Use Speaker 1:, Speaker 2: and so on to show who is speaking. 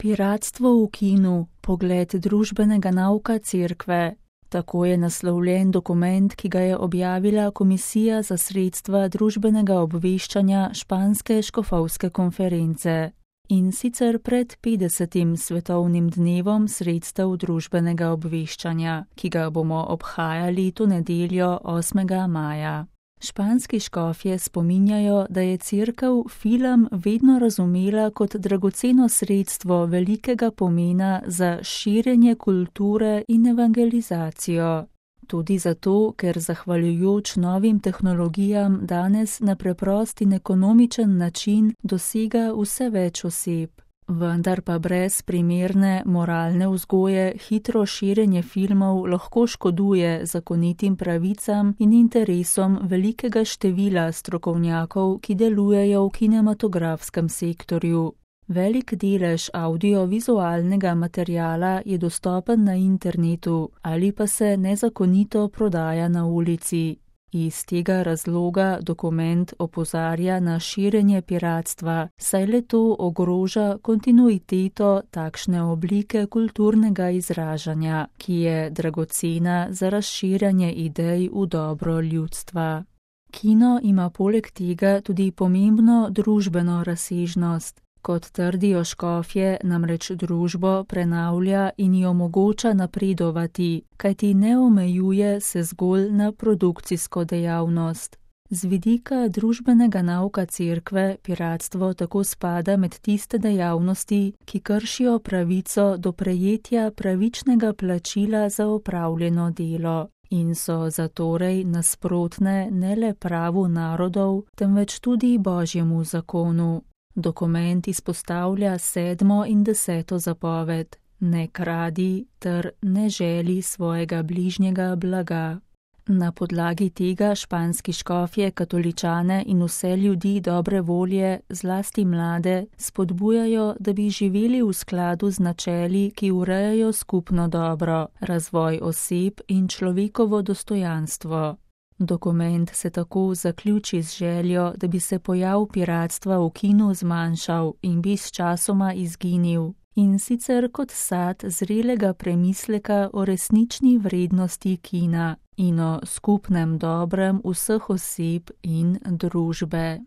Speaker 1: Piratstvo v kinu, pogled družbenega nauka Cerkve. Tako je naslovljen dokument, ki ga je objavila Komisija za sredstva družbenega obveščanja Španske škofovske konference. In sicer pred 50. svetovnim dnevom sredstev družbenega obveščanja, ki ga bomo obhajali to nedeljo 8. maja. Španski škofje spominjajo, da je Cerkev film vedno razumela kot dragoceno sredstvo velikega pomena za širjenje kulture in evangelizacijo. Tudi zato, ker zahvaljujoč novim tehnologijam danes na preprost in ekonomičen način dosega vse več oseb. Vendar pa brez primerne moralne vzgoje hitro širjenje filmov lahko škoduje zakonitim pravicam in interesom velikega števila strokovnjakov, ki delujejo v kinematografskem sektorju. Velik delež audiovizualnega materiala je dostopen na internetu ali pa se nezakonito prodaja na ulici. Iz tega razloga dokument opozarja na širjenje piratstva, saj le-to ogroža kontinuiteto takšne oblike kulturnega izražanja, ki je dragocena za razširjanje idej v dobro ljudstva. Kino ima poleg tega tudi pomembno družbeno razsežnost. Kot trdijo škofje, namreč družbo prenavlja in ji omogoča napredovati, kajti ne omejuje se zgolj na produkcijsko dejavnost. Z vidika družbenega nauka Cerkve piratstvo tako spada med tiste dejavnosti, ki kršijo pravico do prejetja pravičnega plačila za opravljeno delo in so zatorej nasprotne ne le pravu narodov, temveč tudi Božjemu zakonu. Dokument izpostavlja 7. in 10. zapoved: ne kradi ter ne želi svojega bližnjega blaga. Na podlagi tega španski škofje katoličane in vse ljudi dobre volje, zlasti mlade, spodbujajo, da bi živeli v skladu z načeli, ki urejajo skupno dobro, razvoj oseb in človekovo dostojanstvo. Dokument se tako zaključi z željo, da bi se pojav piratstva v kinu zmanjšal in bi sčasoma izginil, in sicer kot sad zrelega premisleka o resnični vrednosti kina in o skupnem dobrem vseh oseb in družbe.